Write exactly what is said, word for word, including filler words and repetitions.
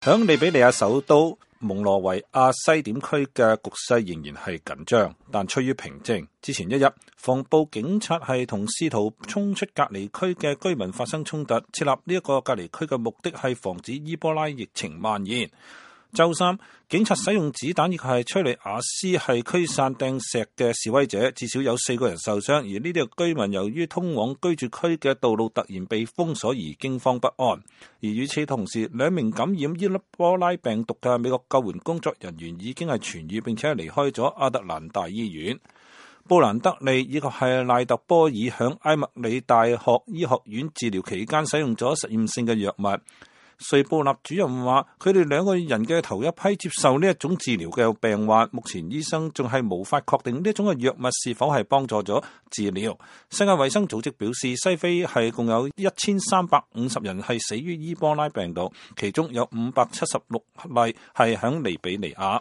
響利比里亞首都蒙羅維亞西點區嘅局勢仍然係緊張，但趨於平靜。之前一日，防暴警察係同試圖衝出隔離區嘅居民發生衝突。設立呢一個隔離區嘅目的係防止伊波拉疫情蔓延。周三，警察使用子彈亦係催淚瓦斯係驅散掟石嘅示威者，至少有四個人受傷。而呢啲居民由於通往居住區嘅道路突然被封鎖而驚慌不安。而與此同時，兩名感染伊波拉病毒嘅美國救援工作人員已經係痊癒並且係離開咗亞特蘭大醫院。布蘭德利以及係賴特波爾響埃默里大學醫學院治療期間使用咗實驗性嘅藥物。瑞布納主任話，佢哋兩個人嘅頭一批接受呢一種治療嘅病患，目前醫生仲係無法確定呢一種嘅藥物是否係幫助咗治療。世界衛生組織表示，西非係共有一千三百五十人係死於伊波拉病毒，其中有五百七十六例係響利比里亞。